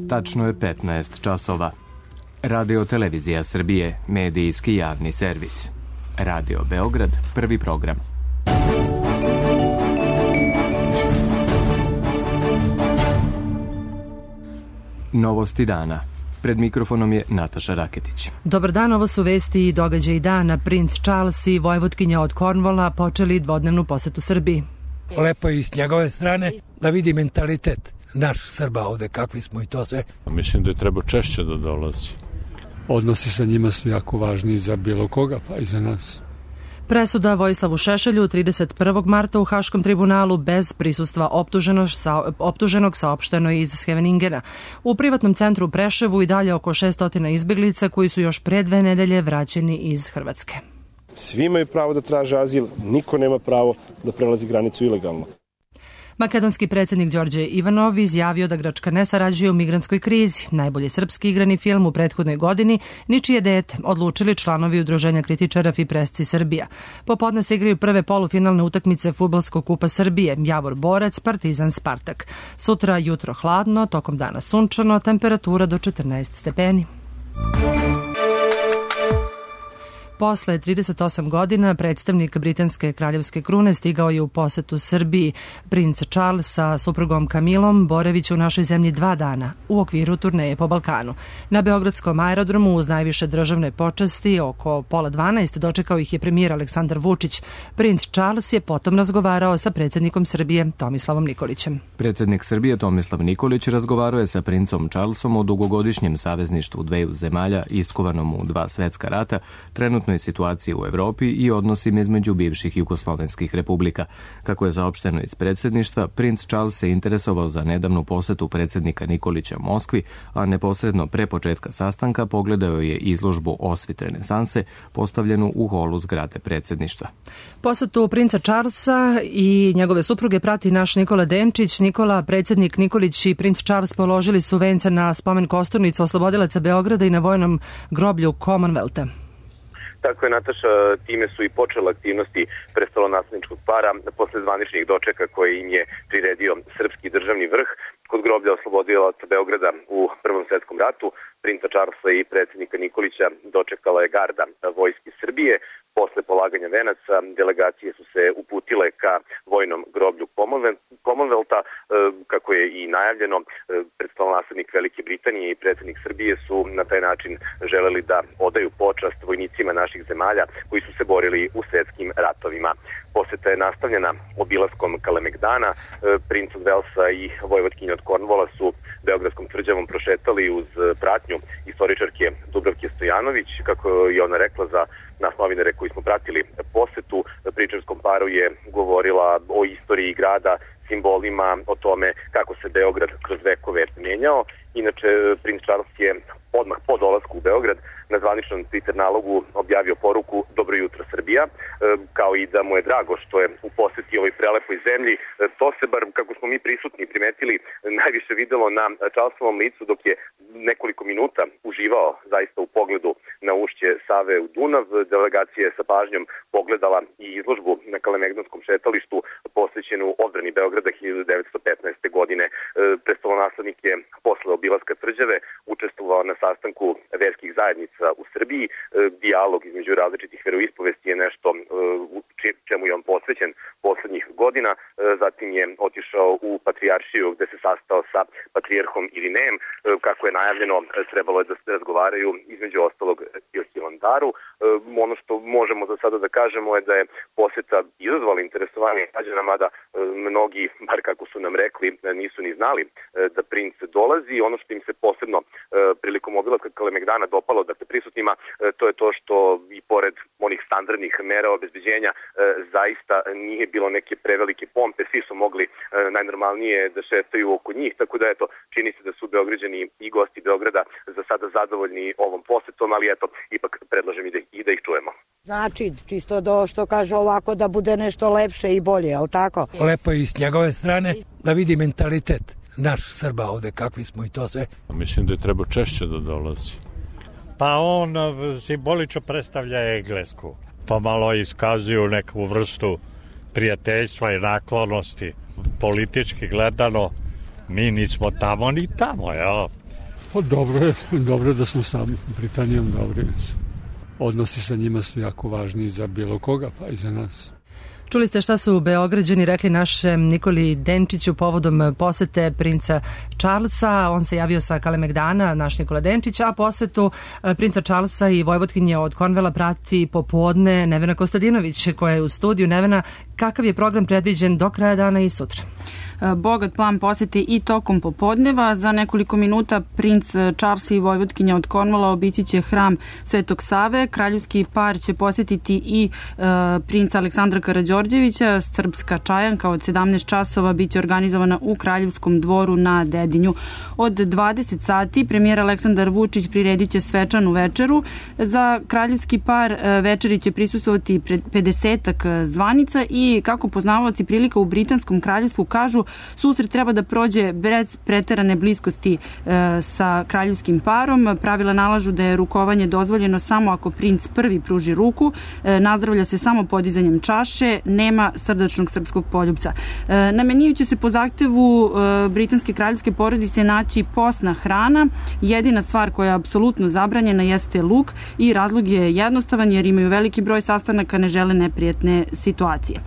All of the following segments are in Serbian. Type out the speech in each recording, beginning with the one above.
Tačno je 15 časova. Radio Televizija Srbije, medijski javni servis. Radio Beograd, prvi program. Novosti dana. Pred mikrofonom je Nataša Raketić. Dobar dan, ovo su vesti i događaji dana. Princ Charles i vojvotkinja od Cornwalla počeli dvodnevnu posetu Srbiji. Lepo je i s njegove strane da vidi mentalitet naš Srba ovde, kakvi smo i to sve. Mislim da je treba češće da dolazi. Odnosi sa njima su jako važni za bilo koga, pa i za nas. Presuda Vojislavu Šešelju 31. marta u Haškom tribunalu bez prisustva optuženog saopšteno iz Scheveningena. U privatnom centru u Preševu i dalje oko 600 izbeglica koji su još pre 2 nedelje vraćeni iz Hrvatske. Svi imaju pravo da traže azil, niko nema pravo da prelazi granicu ilegalno. Makedonski predsjednik Đorđe Ivanov izjavio da Grčka ne sarađuje u migrantskoj krizi. Najbolji srpski igrani film u prethodnoj godini Ničije dete, odlučili članovi Udruženja kritičara Fipresci Srbija. Popodne se igraju prve polufinalne utakmice Fudbalskog kupa Srbije, Javor Borac, Partizan Spartak. Sutra jutro hladno, tokom dana sunčano, temperatura do 14 stepeni. Posle 38 godina predstavnik britanske kraljevske krune stigao je u posetu Srbiji. Princ Charles sa suprugom Kamilom boraviće u našoj zemlji 2 dana u okviru turneje po Balkanu. Na Beogradskom aerodromu uz najviše državne počasti oko 11:30 dočekao ih je premijer Aleksandar Vučić. Princ Charles je potom razgovarao sa predsjednikom Srbije Tomislavom Nikolićem. Predsjednik Srbije Tomislav Nikolić razgovarao je sa princom Charlesom o dugogodišnjem savezništvu dveju zemalja iskovanom u 2 svetska rata, trenutnoj situaciji u Evropi i odnosima između bivših jugoslovenskih republika. Kako je saopšteno iz predsjedništva, princ Charles se interesovao za nedavnu posetu predsjednika Nikolića Moskvi, a neposredno pre početka sastanka pogledao je izložbu Osvit renesanse postavljenu u holu zgrade predsjedništva. Posetu princa Charlesa i njegove supruge prati naš Nikola Denčić. Nikola, predsjednik Nikolić i princ Charles položili su vence na spomen kosturnicu oslobodilaca Beograda i na vojnom groblju Commonwealtha. Tako je, Nataša, time su i počele aktivnosti prestolonasledničkog para posle zvaničnih dočeka koje im je priredio srpski državni vrh kod groblja oslobodilaca Beograda u Prvom svetskom ratu. Princa Charlesa i predsjednika Nikolića dočekala je garda vojske Srbije. Posle polaganja venaca delegacije su se uputile ka vojnom groblju Commonwealtha, kako je i najavljeno. Prestolonaslednik Velike Britanije i predsjednik Srbije su na taj način želeli da odaju počast vojnicima naših zemalja koji su se borili u svetskim ratovima. Poseta je nastavljena obilaskom Kalemegdana. Princ od Velsa i vojvotkinja od Cornwalla su Beogradskom tvrđavom prošetali uz pratnju istoričarke Dubravke Stojanović. Kako je ona rekla za nas novinare koji smo pratili posetu, pričarskom paru je govorila o istoriji grada, simbolima, o tome kako se Beograd kroz vekove menjao. Inače, princ Charles je odmah po dolasku u Beograd na zvaničnom Twitter nalogu objavio poruku Dobro jutro Srbija, kao i da mu je drago što je u poseti ovoj prelepoj zemlji. To se, bar kako smo mi prisutni primetili, najviše videlo na Charlesovom licu dok je nekoliko minuta uživao zaista u pogledu na ušće Save u Dunav. Delegacija je sa pažnjom pogledala i izložbu na Kalemegdanskom šetalištu posvećenu odbrani Beograda 1915. godine. Prestolonaslednik je posle obilaska tvrđave učestvovao na sastanku verskih zajednica u Srbiji. Dijalog između različitih veroispovesti je nešto čemu je on posvećen poslednjih godina. Zatim je otišao u Patrijaršiju gde se sastao sa patrijarhom Irinejem. Kako je najavljeno, trebalo je da se razgovaraju između ostalog i o Hilandaru. Ono što možemo za sada da kažemo je da je poseta izazvala interesovanje građana, mada mnogi, bar kako su nam rekli, nisu ni znali da princ dolazi. Ono što im se posebno prilikom obilaska Kalemegdana dopalo, dakle prisutnima, to je to što i pored onih standardnih mera obezbeđenja zaista nije bilo neke prevelike pompe, svi su mogli najnormalnije da šetaju oko njih, tako da eto, čini se da su Beograđani i gosti Beograda za sada zadovoljni ovom posetom, ali eto, ipak predlažem i da ih čujemo. Znači, čisto što kaže ovako da bude nešto lepše i bolje, ali tako? Lepo je i s njegove strane da vidi mentalitet naš Srba ovde, kakvi smo i to sve. Mislim da je treba češće da dolazi. Pa on simbolično predstavlja Englesku. Pomalo iskazuju neku vrstu prijateljstva i naklonosti. Politički gledano, mi nismo tamo ni tamo, jel? Pa dobro da smo sa Britanijom dobri. Odnosi sa njima su jako važni za bilo koga, pa i za nas. Čuli ste šta su Beograđani rekli našem Nikoli Denčiću povodom posete princa Charlesa. On se javio sa Kalemegdana, naš Nikola Denčić, a posetu princa Charlesa i vojvotkinje od Cornwalla prati popodne Nevena Kostadinović koja je u studiju. Nevena, kakav je program predviđen do kraja dana i sutra? Bogat plan posete i tokom popodneva. Za nekoliko minuta princ Charles i vojvotkinja od Cornwalla obići će hram Svetog Save. Kraljevski par će posetiti i princa Aleksandra Karađorđevića. Srpska čajanka od 17 časova biće organizovana u Kraljevskom dvoru na Dedinju. Od 20 sati premijer Aleksandar Vučić priredit će svečanu večeru. Za kraljevski par večeri će prisustvovati 50-ak zvanica i kako poznavaoci prilika u Britanskom kraljevstvu kažu, susret treba da prođe bez preterane bliskosti sa kraljevskim parom. Pravila nalažu da je rukovanje dozvoljeno samo ako princ prvi pruži ruku, nazdravlja se samo podizanjem čaše, nema srdačnog srpskog poljupca. Na meniju će se po zahtevu britanske kraljevske porodice naći posna hrana. Jedina stvar koja je apsolutno zabranjena jeste luk i razlog je jednostavan jer imaju veliki broj sastanaka, ne žele neprijatne situacije.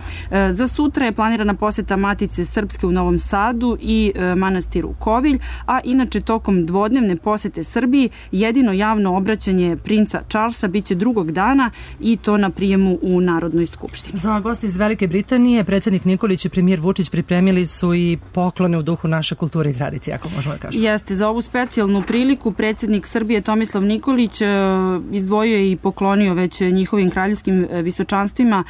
Za sutra je planirana poseta Matice Srpske u Novom Sadu i manastiru Kovilj, a inače tokom dvodnevne posete Srbiji jedino javno obraćanje princa Charlesa biće drugog dana i to na prijemu u Narodnoj skupštini. Za goste iz Velike Britanije, predsjednik Nikolić i premijer Vučić pripremili su i poklone u duhu naše kulture i tradicije, ako možemo da kažemo. Jeste, za ovu specijalnu priliku predsjednik Srbije Tomislav Nikolić izdvojio je i poklonio već njihovim kraljevskim visočanstvima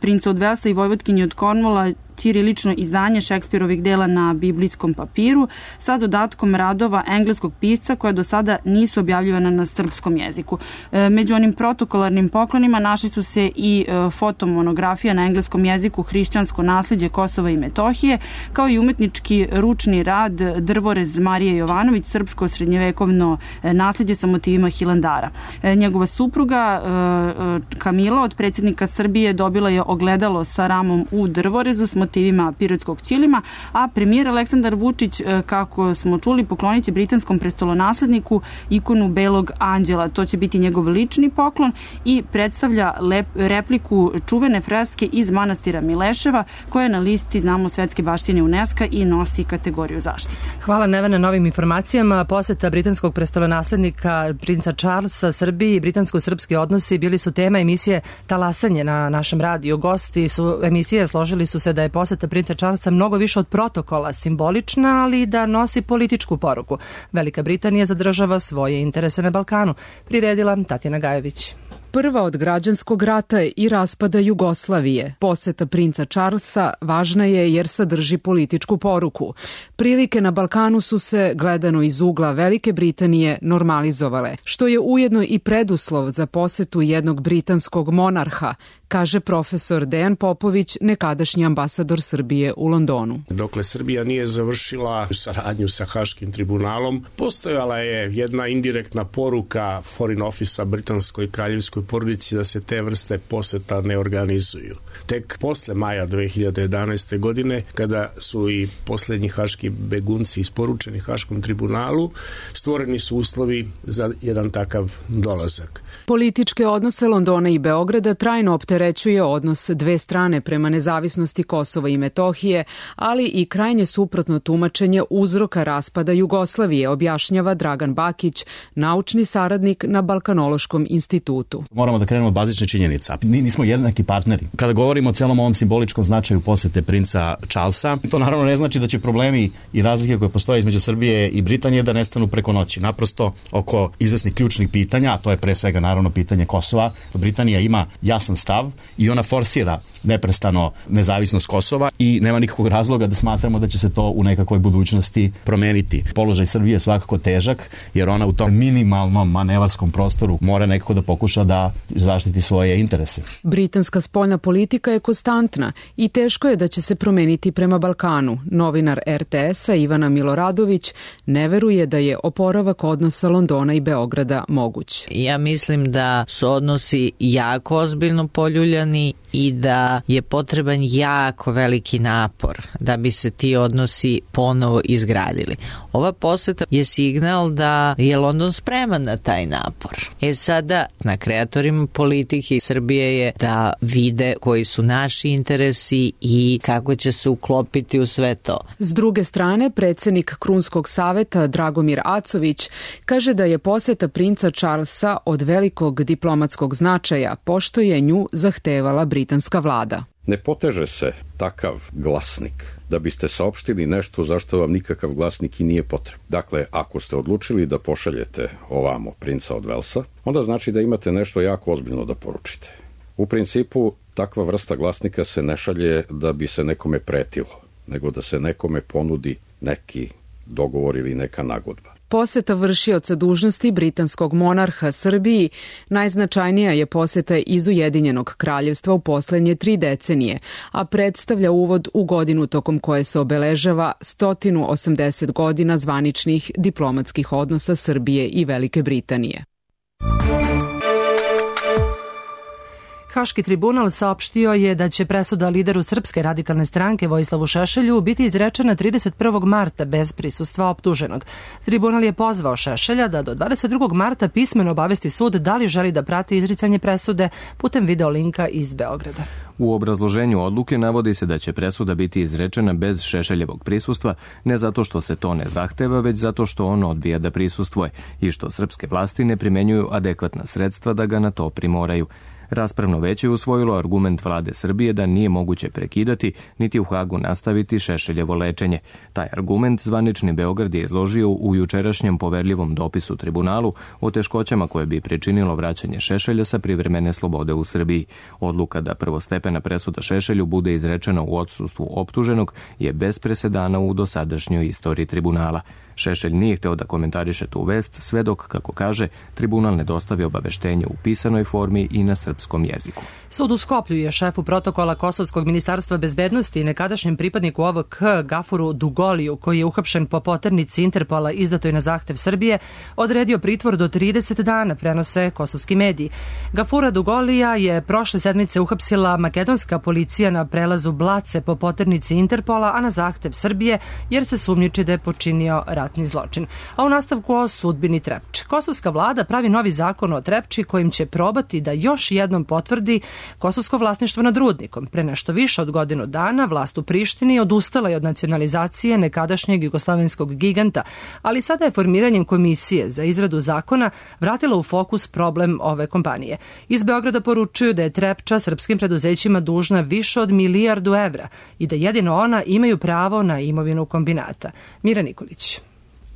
princu od Velsa i vojvotkinji od Cornwalla ćirilično izdanje Šekspirovih dela na biblijskom papiru sa dodatkom radova engleskog pisca koja do sada nisu objavljivana na srpskom jeziku. Među onim protokolarnim poklonima našli su se i fotomonografija na engleskom jeziku Hrišćansko naslijeđe Kosova i Metohije, kao i umetnički ručni rad Drvorez Marije Jovanović, srpsko srednjevekovno naslijeđe sa motivima Hilandara. Njegova supruga Kamila od predsjednika Srbije dobila je ogledalo sa ramom u drvorezu s motivima pirotskog ćilima, a premijer Aleksandar Vučić, kako smo čuli, poklonit će britanskom prestolonasledniku ikonu Belog anđela. To će biti njegov lični poklon i predstavlja repliku čuvene freske iz manastira Mileševa, koja je na listi, znamo, svetske baštine UNESCO i nosi kategoriju zaštite. Hvala Nevena na novim informacijama. Poseta britanskog prestolonaslednika princa Charlesa Srbiji i britansko-srpski odnosi bili su tema emisije Talasanje na našem radiju. Gosti su emisije složili su se da je poseta princa Charlesa mnogo više od protokola, simbolična, ali da nosi političku poruku. Velika Britanija zadržava svoje interese na Balkanu, priredila Tatjana Gajević. Prva od građanskog rata i raspada Jugoslavije. Poseta princa Charlesa važna je jer sadrži političku poruku. Prilike na Balkanu su se, gledano iz ugla Velike Britanije, normalizovale, što je ujedno i preduslov za posetu jednog britanskog monarha, kaže profesor Dejan Popović, nekadašnji ambasador Srbije u Londonu. Dokle Srbija nije završila saradnju sa Haškim tribunalom, postojala je jedna indirektna poruka Foreign Office-a britanskoj kraljevskoj porodici da se te vrste poseta ne organizuju. Tek posle maja 2011. godine, kada su i poslednji haški begunci isporučeni Haškom tribunalu, stvoreni su uslovi za jedan takav dolazak. Političke odnose Londona i Beograda trajno opterećuje odnos dve strane prema nezavisnosti Kosova i Metohije, ali i krajnje suprotno tumačenje uzroka raspada Jugoslavije, objašnjava Dragan Bakić, naučni saradnik na Balkanološkom institutu. Moramo da krenemo od bazične činjenica. Nismo jednaki partneri. Kada govorimo o celom ovom simboličkom značaju posete princa Charlesa, to naravno ne znači da će problemi i razlike koje postoje između Srbije i Britanije da nestanu preko noći. Naprosto oko izvesnih ključnih pitanja, a to je pre svega naravno pitanje Kosova. Britanija ima jasan stav i ona forsira neprestano nezavisnost Kosova i nema nikakvog razloga da smatramo da će se to u nekakvoj budućnosti promeniti. Položaj Srbije je svakako težak jer ona u tom minimalnom manevarskom prostoru mora nekako da pokuša da zaštiti svoje interese. Britanska spoljna politika je konstantna i teško je da će se promeniti prema Balkanu. Novinar RTS-a Ivana Miloradović ne veruje da je oporavak odnosa Londona i Beograda moguć. Ja mislim da su odnosi jako ozbiljno poljuljani poljuljani i da je potreban jako veliki napor da bi se ti odnosi ponovo izgradili. Ova poseta je signal da je London spreman na taj napor. Sada na kreatorima politike Srbije je da vide koji su naši interesi i kako će se uklopiti u sve to. S druge strane, predsednik Krunskog saveta Dragomir Acović kaže da je poseta princa Charlesa od velikog diplomatskog značaja, pošto je nju zahtevala britanska vlada. Ne poteže se takav glasnik da biste saopštili nešto zašto vam nikakav glasnik i nije potreban. Dakle, ako ste odlučili da pošaljete ovamo princa od Velsa, onda znači da imate nešto jako ozbiljno da poručite. U principu, takva vrsta glasnika se ne šalje da bi se nekome pretilo, nego da se nekome ponudi neki dogovor ili neka nagodba. Poseta vršioca dužnosti britanskog monarha Srbiji najznačajnija je poseta iz Ujedinjenog kraljevstva u poslednje 3 decenije, a predstavlja uvod u godinu tokom koje se obeležava 180 godina zvaničnih diplomatskih odnosa Srbije i Velike Britanije. Haški tribunal saopštio je da će presuda lideru Srpske radikalne stranke Vojislavu Šešelju biti izrečena 31. marta bez prisustva optuženog. Tribunal je pozvao Šešelja da do 22. marta pismeno obavesti sud da li želi da prati izricanje presude putem video linka iz Beograda. U obrazloženju odluke navodi se da će presuda biti izrečena bez Šešeljevog prisustva, ne zato što se to ne zahteva, već zato što on odbija da prisustvuje i što srpske vlasti ne primenjuju adekvatna sredstva da ga na to primoraju. Raspravno veće je usvojilo argument vlade Srbije da nije moguće prekidati niti u Hagu nastaviti Šešeljevo lečenje. Taj argument zvanični Beograd je izložio u jučerašnjem poverljivom dopisu tribunalu o teškoćama koje bi pričinilo vraćanje Šešelja sa privremene slobode u Srbiji. Odluka da prvostepena presuda Šešelju bude izrečena u odsustvu optuženog je bez presedana u dosadašnjoj istoriji tribunala. Šešelj nije hteo da komentariše tu vest, sve dok, kako kaže, tribunal ne dostavi obaveštenje u pisanoj formi i na srpskom jeziku. Sud u Skoplju je šefu protokola Kosovskog ministarstva bezbednosti i nekadašnjem pripadniku OVK Gafuru Dugoliju, koji je uhapšen po poternici Interpola izdatoj na zahtev Srbije, odredio pritvor do 30 dana, prenose kosovski mediji. Gafura Dugolija je prošle sedmice uhapsila makedonska policija na prelazu Blace po poternici Interpola, a na zahtev Srbije, jer se sumnjiči da je počinio ratni zločin. A u nastavku o sudbini Trepče. Kosovska vlada pravi novi zakon o Trepči kojim će probati da još jednom potvrdi kosovsko vlasništvo nad rudnikom. Pre nešto više od godinu dana vlast u Prištini odustala je od nacionalizacije nekadašnjeg jugoslovenskog giganta, ali sada je formiranjem komisije za izradu zakona vratila u fokus problem ove kompanije. Iz Beograda poručuju da je Trepča srpskim preduzećima dužna više od 1 milijardu evra i da jedino ona imaju pravo na imovinu kombinata. Mira Nikolić.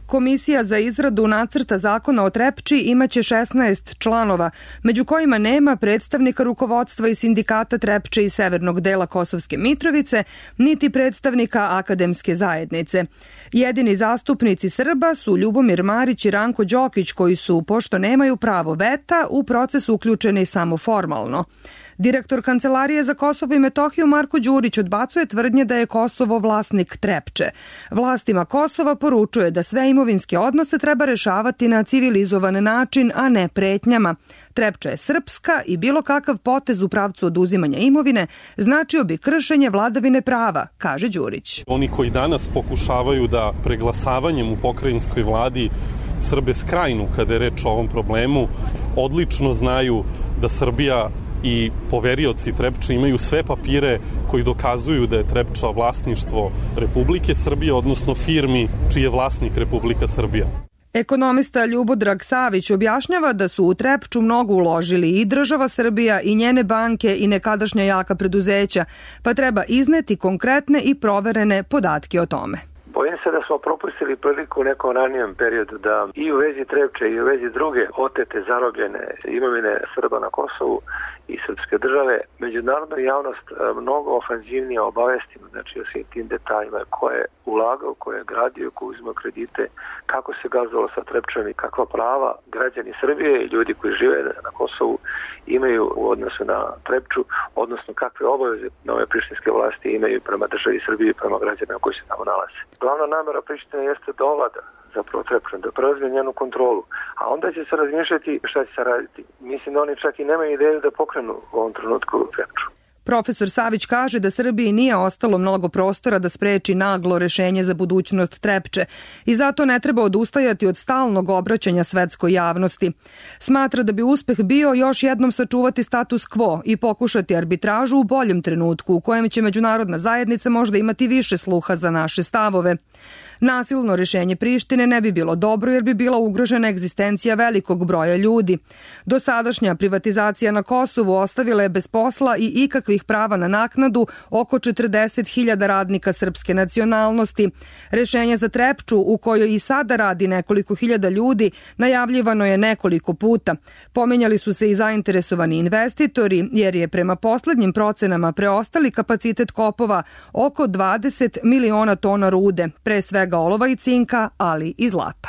Komisija za izradu nacrta zakona o Trepči imaće 16 članova, među kojima nema predstavnika rukovodstva i sindikata Trepče i severnog dela Kosovske Mitrovice, niti predstavnika akademske zajednice. Jedini zastupnici Srba su Ljubomir Marić i Ranko Đokić, koji su, pošto nemaju pravo veta, u proces uključeni samo formalno. Direktor Kancelarije za Kosovo i Metohiju Marko Đurić odbacuje tvrdnje da je Kosovo vlasnik Trepče. Vlastima Kosova poručuje da sve imovinske odnose treba rešavati na civilizovan način, a ne pretnjama. Trepča je srpska i bilo kakav potez u pravcu oduzimanja imovine značio bi kršenje vladavine prava, kaže Đurić. Oni koji danas pokušavaju da preglasavanjem u pokrajinskoj vladi Srbe skrajnu kada je reč o ovom problemu, odlično znaju da Srbija i poverioci Trepče imaju sve papire koji dokazuju da je Trepča vlasništvo Republike Srbije, odnosno firmi čiji je vlasnik Republika Srbija. Ekonomista Ljubodrag Savić objašnjava da su u Trepču mnogo uložili i država Srbija i njene banke i nekadašnja jaka preduzeća, pa treba izneti konkretne i proverene podatke o tome. Bojim se da smo propustili priliku u nekom ranijem periodu da i u vezi Trepče i u vezi druge otete zarobljene imovine Srba na Kosovu i srpske države, međunarodna javnost mnogo ofanzivnije obavestimo, znači o svim tim detaljima, ko je ulagao, ko je gradio, ko uzimao kredite, kako se gazdalo sa Trepčom i kakva prava građani Srbije i ljudi koji žive na Kosovu imaju u odnosu na Trepču, odnosno kakve obaveze nove prištinske vlasti imaju prema državi Srbije i prema građanima koji se tamo nalaze. Glavna namera Prištine jeste da ovlada zapravo Trepču, da preuzme njenu kontrolu. A onda će se razmišljati šta će se raditi. Mislim da oni čak i nemaju ideju da pokrenu u ovom trenutku Trepču. Profesor Savić kaže da Srbiji nije ostalo mnogo prostora da spreči naglo rešenje za budućnost Trepče i zato ne treba odustajati od stalnog obraćanja svetskoj javnosti. Smatra da bi uspeh bio još jednom sačuvati status quo i pokušati arbitražu u boljem trenutku u kojem će međunarodna zajednica možda imati više sluha za naše stavove. Nasilno rešenje Prištine ne bi bilo dobro jer bi bila ugrožena egzistencija velikog broja ljudi. Dosadašnja privatizacija na Kosovu ostavila je bez posla i ikakvih prava na naknadu oko 40.000 radnika srpske nacionalnosti. Rešenje za Trepču, u kojoj i sada radi nekoliko hiljada ljudi, najavljivano je nekoliko puta. Pomenjali su se i zainteresovani investitori jer je prema poslednjim procenama preostali kapacitet kopova oko 20 miliona tona rude, pre svega olova i cinka, ali i zlata.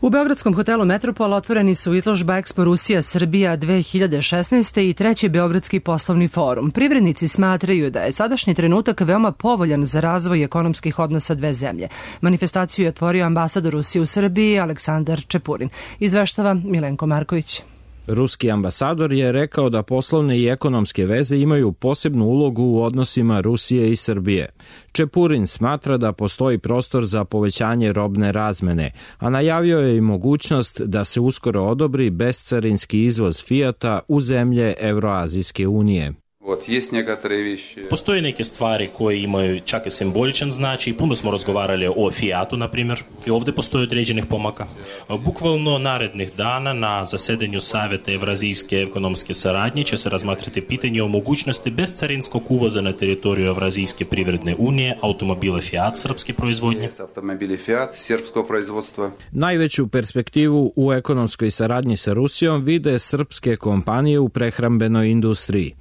U Beogradskom hotelu Metropol otvoreni su izložba Expo Rusija Srbija 2016. i treći Beogradski poslovni forum. Privrednici smatraju da je sadašnji trenutak veoma povoljan za razvoj ekonomskih odnosa dve zemlje. Manifestaciju je otvorio ambasador Rusije u Srbiji Aleksandar Čepurin. Izveštava Milenko Marković. Ruski ambasador je rekao da poslovne i ekonomske veze imaju posebnu ulogu u odnosima Rusije i Srbije. Čepurin smatra da postoji prostor za povećanje robne razmene, a najavio je i mogućnost da se uskoro odobri bescarinski izvoz Fijata u zemlje Evroazijske unije. Postoje neke stvari koje imaju čak i simboličan značaj. Puno smo razgovarali o Fijatu, na primjer, i ovdje postoje određenih pomaka. Bukvalno narednih dana na zasedanju Saveta Evrazijske ekonomske saradnje će se razmatrati pitanje o mogućnosti bescarinskog uvoza na teritoriju Evrazijske privredne unije automobila Fiat srpske proizvodnje. Najveću perspektivu u ekonomskoj saradnji sa Rusijom vide srpske kompanije u prehrambenoj industriji.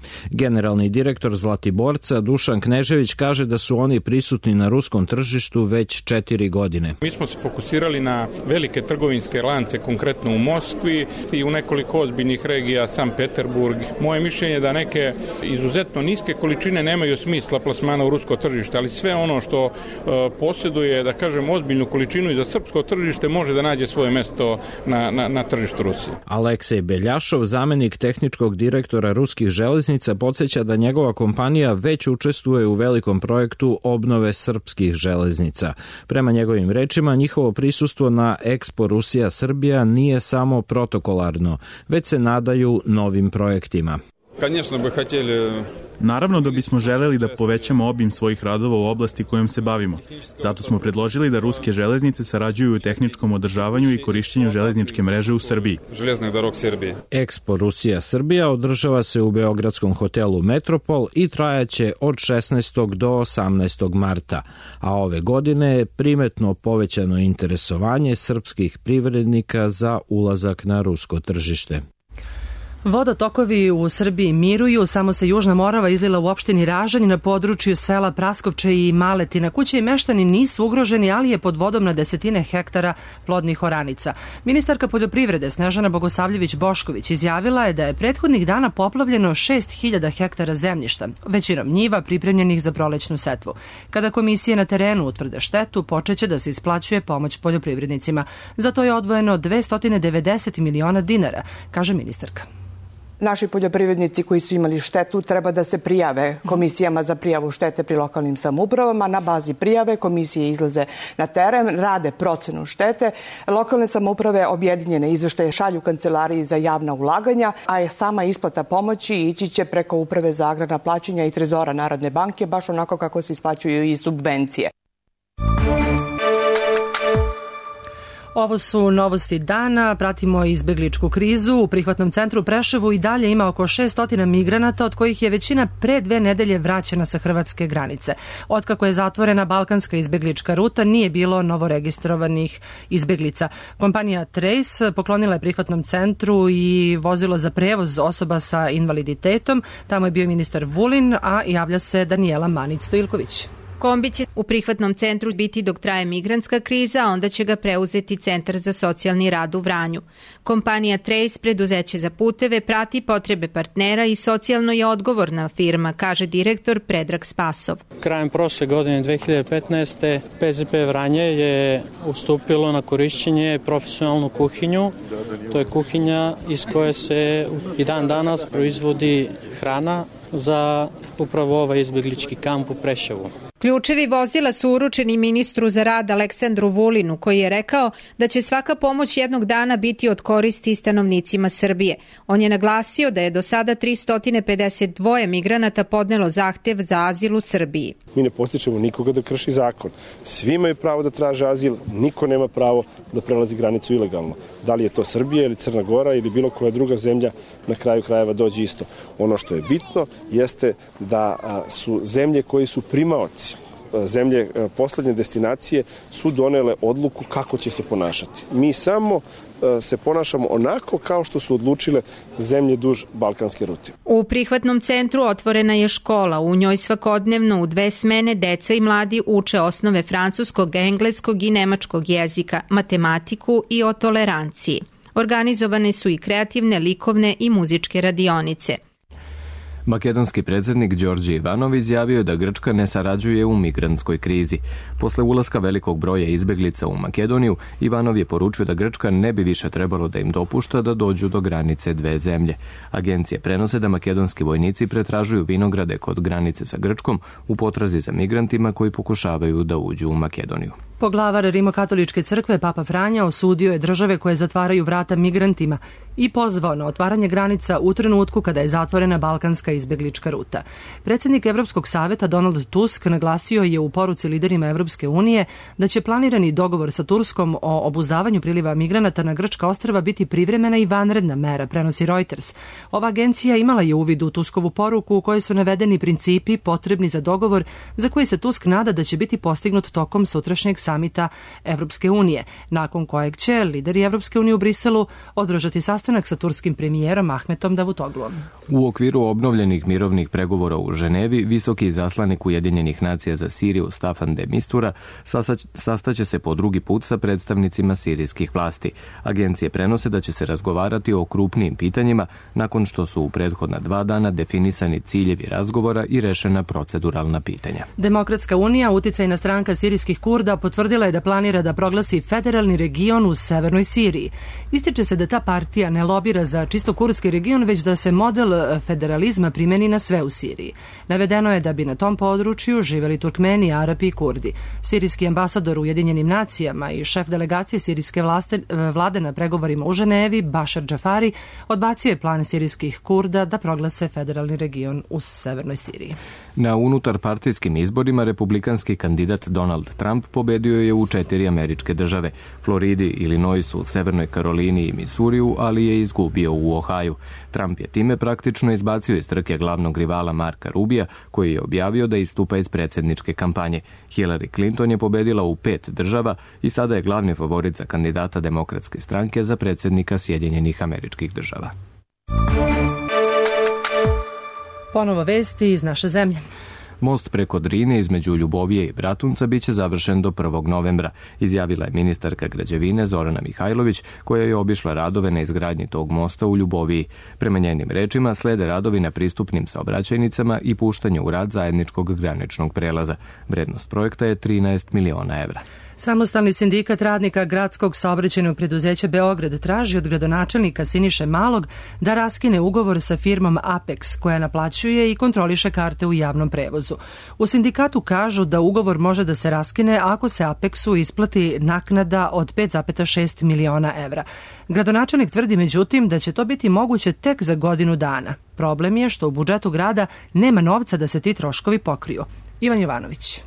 Generalni direktor Zlatiborca Dušan Knežević kaže da su oni prisutni na ruskom tržištu već 4 godine. Mi smo se fokusirali na velike trgovinske lance, konkretno u Moskvi i u nekoliko ozbiljnih regija, Sankt Peterburg. Moje mišljenje je da neke izuzetno niske količine nemaju smisla plasmana u rusko tržište, ali sve ono što posjeduje, da kažem, ozbiljnu količinu i za srpsko tržište može da nađe svoje mesto na tržištu Rusije. Aleksej Beljašov, zamenik tehničkog direktora ruskih železnica, podsjeća da njegova kompanija već učestvuje u velikom projektu obnove srpskih železnica. Prema njegovim rečima, njihovo prisustvo na Expo Rusija Srbija nije samo protokolarno, već se nadaju novim projektima. Naravno da bismo želeli da povećamo obim svojih radova u oblasti kojom se bavimo. Zato smo predložili da ruske železnice sarađuju u tehničkom održavanju i korišćenju železničke mreže u Srbiji. Expo Rusija Srbija održava se u Beogradskom hotelu Metropol i trajaće od 16. do 18. marta, a ove godine je primetno povećano interesovanje srpskih privrednika za ulazak na rusko tržište. Vodotokovi u Srbiji miruju, samo se Južna Morava izlila u opštini Ražanj na području sela Praskovče i Maletina. Kuće i meštani nisu ugroženi, ali je pod vodom na desetine hektara plodnih oranica. Ministarka poljoprivrede Snežana Bogosavljević-Bošković izjavila je da je prethodnih dana poplavljeno 6.000 hektara zemljišta, većinom njiva pripremljenih za prolećnu setvu. Kada komisije na terenu utvrde štetu, počeće da se isplaćuje pomoć poljoprivrednicima. Za to je odvojeno 290 miliona dinara, kaže ministarka. Naši poljoprivrednici koji su imali štetu treba da se prijave komisijama za prijavu štete pri lokalnim samoupravama. Na bazi prijave komisije izlaze na teren, rade procenu štete. Lokalne samouprave objedinjene izveštaje šalju Kancelariji za javna ulaganja, a sama isplata pomoći ići će preko Uprave za agrarna plaćanja i Trezora Narodne banke, baš onako kako se isplaćuju i subvencije. Ovo su novosti dana, pratimo izbegličku krizu. U prihvatnom centru u Preševu i dalje ima oko 600 migranata, od kojih je većina pre 2 nedelje vraćena sa hrvatske granice. Otkako je zatvorena balkanska izbeglička ruta, nije bilo novoregistrovanih izbeglica. Kompanija Trace poklonila je prihvatnom centru i vozilo za prevoz osoba sa invaliditetom. Tamo je bio ministar Vulin, a javlja se Danijela Manić-Stojilković. kombi će u prihvatnom centru biti dok traje migrantska kriza, a onda će ga preuzeti Centar za socijalni rad u Vranju. Kompanija Trace, preduzeće za puteve, prati potrebe partnera i socijalno je odgovorna firma, kaže direktor Predrag Spasov. Krajem prošle godine 2015. PZP Vranje je ustupilo na korišćenje profesionalnu kuhinju. To je kuhinja iz koje se i dan danas proizvodi hrana za upravo ovaj izbeglički kamp u Preševu. Ključevi vozila su uručeni ministru za rad Aleksandru Vulinu, koji je rekao da će svaka pomoć jednog dana biti od koristi stanovnicima Srbije. On je naglasio da je do sada 352 migranata podnelo zahtev za azil u Srbiji. Mi ne postičemo nikoga da krši zakon. Svi imaju pravo da traže azil, niko nema pravo da prelazi granicu ilegalno. Da li je to Srbija ili Crna Gora ili bilo koja druga zemlja, na kraju krajeva dođe isto. Ono što je bitno jeste da su zemlje koji su primaoci, zemlje poslednje destinacije su donele odluku kako će se ponašati. Mi samo se ponašamo onako kao što su odlučile zemlje duž balkanske rute. U prihvatnom centru otvorena je škola. U njoj svakodnevno u 2 smene deca i mladi uče osnove francuskog, engleskog i nemačkog jezika, matematiku i o toleranciji. Organizovane su i kreativne, likovne i muzičke radionice. Makedonski predsjednik Đorđe Ivanov izjavio da Grčka ne sarađuje u migrantskoj krizi. Posle ulaska velikog broja izbeglica u Makedoniju, Ivanov je poručio da Grčka ne bi više trebalo da im dopušta da dođu do granice 2 zemlje. Agencije prenose da makedonski vojnici pretražuju vinograde kod granice sa Grčkom u potrazi za migrantima koji pokušavaju da uđu u Makedoniju. Poglavar Rimokatoličke crkve Papa Franja osudio je države koje zatvaraju vrata migrantima i pozvao na otvaranje granica u trenutku kada je zatvorena balkanska izbeglička ruta. Predsjednik Evropskog saveta Donald Tusk naglasio je u poruci liderima Evropske unije da će planirani dogovor sa Turskom o obuzdavanju priliva migranata na grčka ostrva biti privremena i vanredna mera, prenosi Reuters. Ova agencija imala je uvid u Tuskovu poruku u kojoj su navedeni principi potrebni za dogovor za koji se Tusk nada da će biti postignut tokom sutrašnjeg samita Evropske unije, nakon kojeg će lideri Evropske unije u Briselu održati sastanak sa turskim premijerom Ahmetom Davutogluom. U okviru obnovljenih mirovnih pregovora u Ženevi, visoki izaslanik Ujedinjenih nacija za Siriju Staffan de Mistura sastaće se po drugi put sa predstavnicima sirijskih vlasti. Agencije prenose da će se razgovarati o krupnijim pitanjima nakon što su u prethodna 2 dana definisani ciljevi razgovora i rešena proceduralna pitanja. Demokratska unija, uticajna stranka sirijskih Kurda, potvrdila je da planira da proglasi federalni region u severnoj Siriji. Ističe se da ta partija ne lobira za čisto kurdski region, već da se model federalizma primeni na sve u Siriji. Navedeno je da bi na tom području živeli Turkmeni, Arapi i Kurdi. Sirijski ambasador u Ujedinjenim nacijama i šef delegacije sirijske vlade na pregovorima u Ženevi, Bašar Džafari, odbacio je plan sirijskih Kurda da proglase federalni region u severnoj Siriji. Na unutarpartijskim izborima republikanski kandidat Donald Trump pobedio je u 4 američke države, Floridi, Illinoisu, Severnoj Karolini i Misuriju, ali je izgubio u Ohaju. Trump je time praktično izbacio iz trke glavnog rivala Marka Rubija, koji je objavio da istupa iz predsjedničke kampanje. Hillary Clinton je pobedila u 5 država i sada je glavni favorit za kandidata Demokratske stranke za predsjednika Sjedinjenih Američkih Država. Ponovo vesti iz naše zemlje. Most preko Drine između Ljubovije i Bratunca biće završen do 1. novembra, izjavila je ministarka građevine Zorana Mihajlović, koja je obišla radove na izgradnji tog mosta u Ljuboviji. Prema njenim rečima slede radovi na pristupnim saobraćajnicama i puštanje u rad zajedničkog graničnog prelaza. Vrednost projekta je 13 miliona evra. Samostalni sindikat radnika gradskog saobraćajnog preduzeća Beograd traži od gradonačelnika Siniše Malog da raskine ugovor sa firmom Apex, koja naplaćuje i kontroliše karte u javnom prevozu. U sindikatu kažu da ugovor može da se raskine ako se Apexu isplati naknada od 5,6 miliona evra. Gradonačelnik tvrdi međutim da će to biti moguće tek za godinu dana. Problem je što u budžetu grada nema novca da se ti troškovi pokriju. Ivan Jovanović.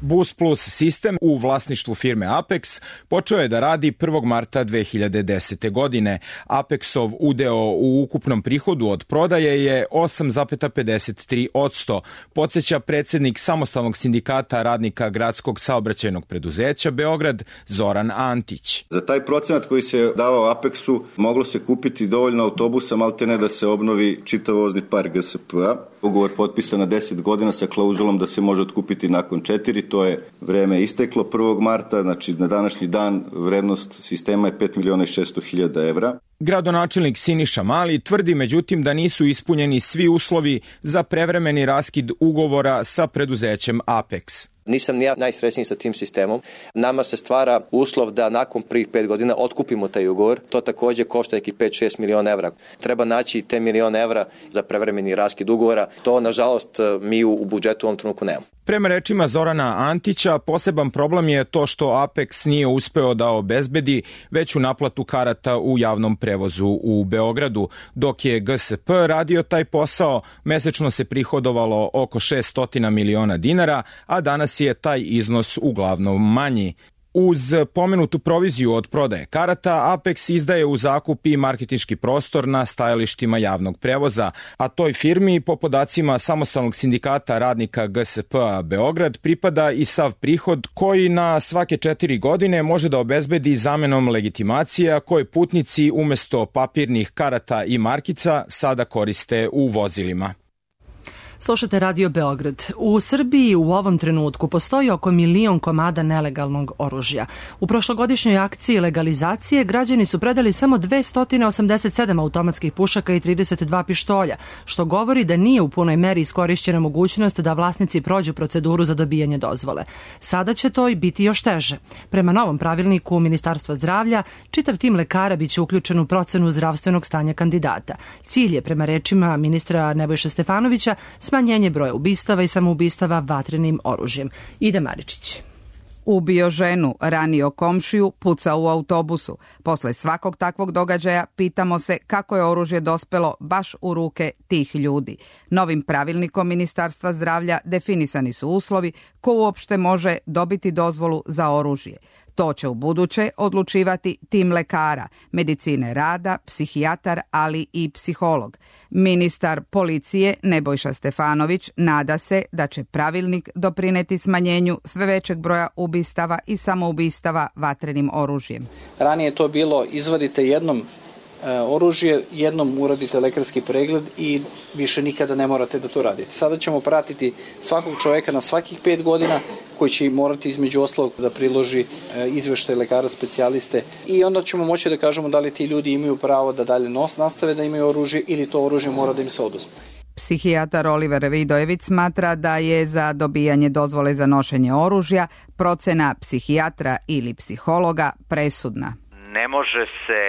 Bus Plus sistem u vlasništvu firme Apex počeo je da radi 1. marta 2010. godine. Apexov udeo u ukupnom prihodu od prodaje je 8,53%, podsjeća predsednik Samostalnog sindikata radnika Gradskog saobraćajnog preduzeća Beograd Zoran Antić. Za taj procenat koji se davao Apexu moglo se kupiti dovoljno autobusa, maltene da se obnovi čitav vozni park GSP-a. Ugovor potpisan na 10 godina sa klauzulom da se može otkupiti nakon 4, to je vreme isteklo 1. marta, znači na današnji dan vrednost sistema je 5.600.000 evra. Gradonačelnik Siniša Mali tvrdi međutim da nisu ispunjeni svi uslovi za prevremeni raskid ugovora sa preduzećem Apex. Nisam ni ja najsrećniji sa tim sistemom. Nama se stvara uslov da nakon prvih 5 godina otkupimo taj ugovor. To takođe košta neki 5-6 miliona evra. Treba naći te miliona evra za prevremeni raskid ugovora. To, nažalost, mi u budžetu u ovom trenutku nemamo. Prema rečima Zorana Antića, poseban problem je to što Apex nije uspeo da obezbedi veću naplatu karata u javnom prevozu u Beogradu. Dok je GSP radio taj posao, mesečno se prihodovalo oko 600 miliona dinara, a danas je taj iznos uglavnom manji. Uz pomenutu proviziju od prodaje karata, Apex izdaje u zakup i marketinški prostor na stajalištima javnog prevoza, a toj firmi, po podacima Samostalnog sindikata radnika GSP-a Beograd, pripada i sav prihod koji na svake 4 godine može da obezbedi zamenom legitimacija koje putnici umesto papirnih karata i markica sada koriste u vozilima. Slušate Radio Beograd. U Srbiji u ovom trenutku postoji oko 1.000.000 komada nelegalnog oružja. U prošlogodišnjoj akciji legalizacije građani su predali samo 287 automatskih pušaka i 32 pištolja, što govori da nije u punoj meri iskorišćena mogućnost da vlasnici prođu proceduru za dobijanje dozvole. Sada će to i biti još teže. Prema novom pravilniku Ministarstva zdravlja, čitav tim lekara biće uključen u procenu zdravstvenog stanja kandidata. Cilj je, prema rečima ministra Nebojše Stefanovića, smanjenje broja ubistava i samoubistava vatrenim oružjem. Ida Maričić. Ubio ženu, ranio komšiju, pucao u autobusu. Posle svakog takvog događaja pitamo se kako je oružje dospelo baš u ruke tih ljudi. Novim pravilnikom Ministarstva zdravlja definisani su uslovi ko uopšte može dobiti dozvolu za oružje. To će u buduće odlučivati tim lekara, medicine rada, psihijatar, ali i psiholog. Ministar policije Nebojša Stefanović nada se da će pravilnik doprineti smanjenju sve većeg broja ubistava i samoubistava vatrenim oružjem. Ranije je to bilo izvadite jednom oružje, jednom uradite lekarski pregled i više nikada ne morate da to radite. Sada ćemo pratiti svakog čoveka na svakih 5 godina koji će morati između ostalog da priloži izveštaj lekara specijaliste i onda ćemo moći da kažemo da li ti ljudi imaju pravo da dalje nastave da imaju oružje ili to oružje mora da im se oduzme. Psihijatar Oliver Vidojević smatra da je za dobijanje dozvole za nošenje oružja procena psihijatra ili psihologa presudna. Ne može se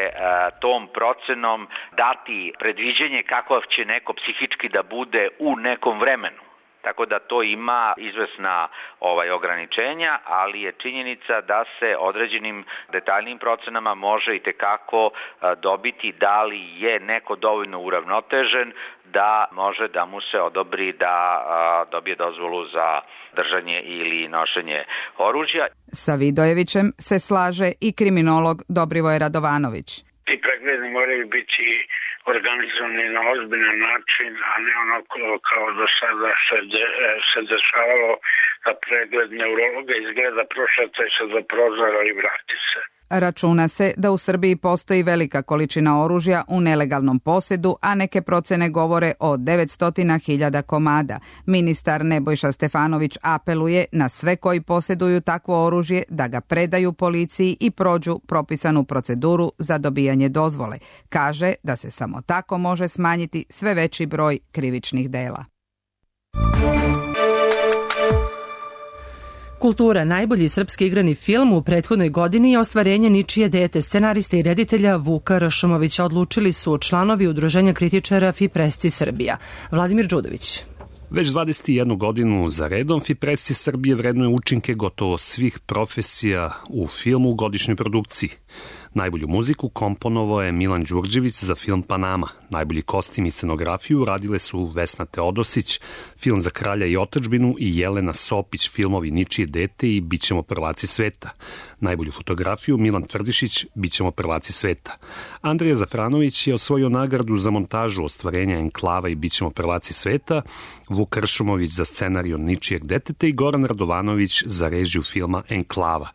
tom procenom dati predviđenje kako će neko psihički da bude u nekom vremenu. Tako da to ima izvesna ograničenja, ali je činjenica da se određenim detaljnim procenama može i tekako dobiti da li je neko dovoljno uravnotežen da može da mu se odobri da dobije dozvolu za držanje ili nošenje oružja. Sa Vidojevićem se slaže i kriminolog Dobrivoje Radovanović. Ti pregledi moraju biti organizovani na ozbiljan način, a ne onako kao do sada se dešavalo da pregled neurologa izgleda prošetaj se do prozora i vrati se. Računa se da u Srbiji postoji velika količina oružja u nelegalnom posedu, a neke procene govore o 900.000 komada. Ministar Nebojša Stefanović apeluje na sve koji poseduju takvo oružje da ga predaju policiji i prođu propisanu proceduru za dobijanje dozvole. Kaže da se samo tako može smanjiti sve veći broj krivičnih dela. Kultura, najbolji srpski igrani film u prethodnoj godini je ostvarenje Ničije dete. Scenarista i reditelja Vuka Ršumovića odlučili su članovi Udruženja kritičara FIPRESCI Srbija. Vladimir Đudović. Već 21 godinu za redom FIPRESCI Srbije vrednuje učinke gotovo svih profesija u filmu u godišnjoj produkciji. Najbolju muziku komponovao je Milan Đurđević za film Panama. Najbolji kostim i scenografiju radile su Vesna Teodosić, film za Kralja i otadžbinu, i Jelena Sopić, filmovi Ničije dete i Bićemo prvaci sveta. Najbolju fotografiju Milan Tvrdišić, Bićemo prvaci sveta. Andrija Zafranović je osvojio nagradu za montažu ostvarenja Enklava i Bićemo prvaci sveta, Vuk Kršumović za scenariju Ničijeg deteta i Goran Radovanović za režiju filma Enklava.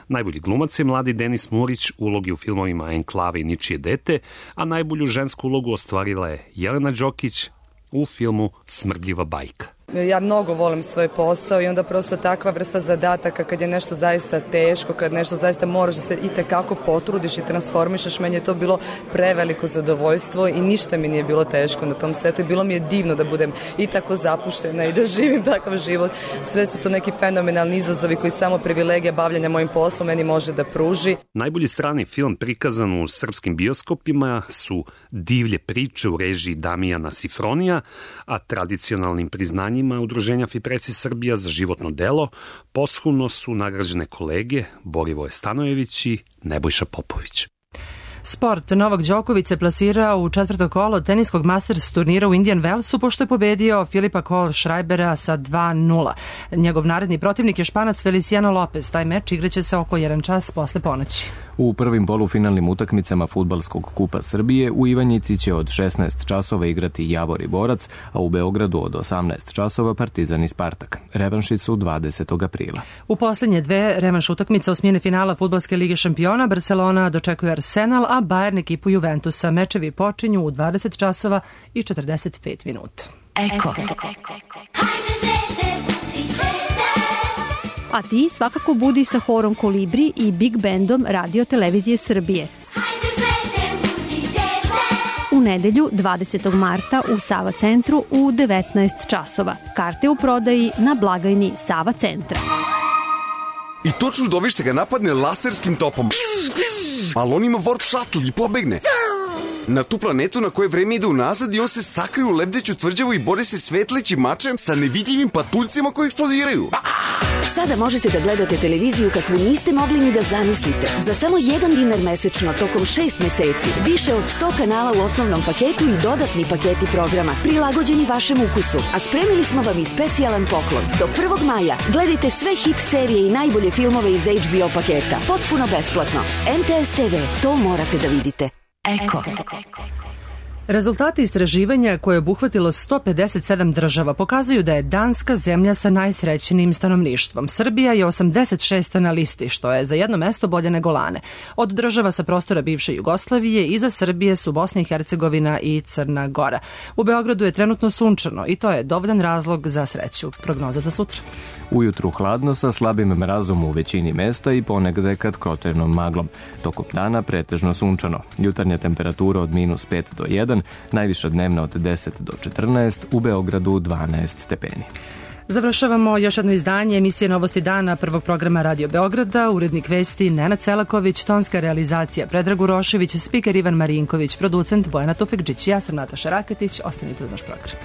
Najbolji glumac je mladi Denis Murić, ulogi u filmovima Enklava i Ničije dete, a najbolju žensku ulogu ostvarila je Jelena Đokić u filmu Smrdljiva bajka. Ja mnogo volim svoj posao i onda prosto takva vrsta zadataka kad je nešto zaista teško, kad nešto zaista moraš da se i tekako potrudiš i transformišeš, meni je to bilo preveliko zadovoljstvo i ništa mi nije bilo teško na tom setu i bilo mi je divno da budem i tako zapuštena i da živim takav život. Sve su to neki fenomenalni izazovi koji samo privilegija bavljanja mojim poslom meni može da pruži. Najbolji strani film prikazan u srpskim bioskopima su Divlje priče u režiji Damijana Sifronija, a tradicionalnim priznanjima Udruženja Fipreci Srbija za životno delo posthumno su nagrađene kolege Borivoje Stanojević i Nebojša Popović. Sport. Novak Đoković se plasirao u četvrto kolo teniskog Masters turnira u Indian Wellsu pošto je pobedio Filipa Kohlschreibera sa 2-0. Njegov naredni protivnik je Španac Feliciano Lopez. Taj meč igraće se oko 1 čas posle ponoći. U prvim polufinalnim utakmicama Fudbalskog kupa Srbije u Ivanjici će od 16 časova igrati Javor i Borac, a u Beogradu od 18 časova Partizan i Spartak. Revanši su 20. aprila. U posljednje dve revanš utakmice osmine finala Fudbalske lige šampiona Barcelona dočekuje Arsenal, a Bayern ekipu Juventusa. Mečevi počinju u 20 časova i 45 minuta. Eko. A ti svakako budi sa horom Kolibri i Big Bandom Radio Televizije Srbije. U nedelju 20. marta u Sava centru u 19 časova. Karte u prodaji na blagajni Sava centra. I to čudovište ga napadne laserskim topom. Ali on ima warp shuttle i pobegne. Na tu planetu na koje vreme ide unazad i on se sakrije u lebdeću tvrđavu i bori se svetlećim mačem sa nevidljivim patuljcima koji eksplodiraju. Sada možete da gledate televiziju kakvu niste mogli ni da zamislite. Za samo $1 mesečno tokom 6 meseci. Više od 100 kanala u osnovnom paketu i dodatni paketi programa prilagođeni vašem ukusu. A spremili smo vam i specijalan poklon. Do 1. maja gledajte sve hit serije i najbolje filmove iz HBO paketa. Potpuno besplatno. NTS TV, to morate da vidite. Eko. Rezultati istraživanja koje je obuhvatilo 157 država pokazuju da je Danska zemlja sa najsrećnijim stanovništvom. Srbija je 86. na listi, što je za jedno mesto bolje nego lane. Od država sa prostora bivše Jugoslavije iza Srbije su Bosna i Hercegovina i Crna Gora. U Beogradu je trenutno sunčano i to je dovoljan razlog za sreću. Prognoza za sutra. Ujutru hladno sa slabim mrazom u većini mesta i ponegde kad krotenom maglom. Tokom dana pretežno sunčano. Jutarnja temperatura od -5 do 1, najviša dnevna od 10 do 14, u Beogradu 12 stepeni. Završavamo još jedno izdanje emisije Novosti dana prvog programa Radio Beograda, urednik vesti Nenad Selaković, tonska realizacija Predrag Urošević, spiker Ivan Marinković, producent Bojana Tufekđić, ja sam Nataša Raketić, ostanite uz naš program.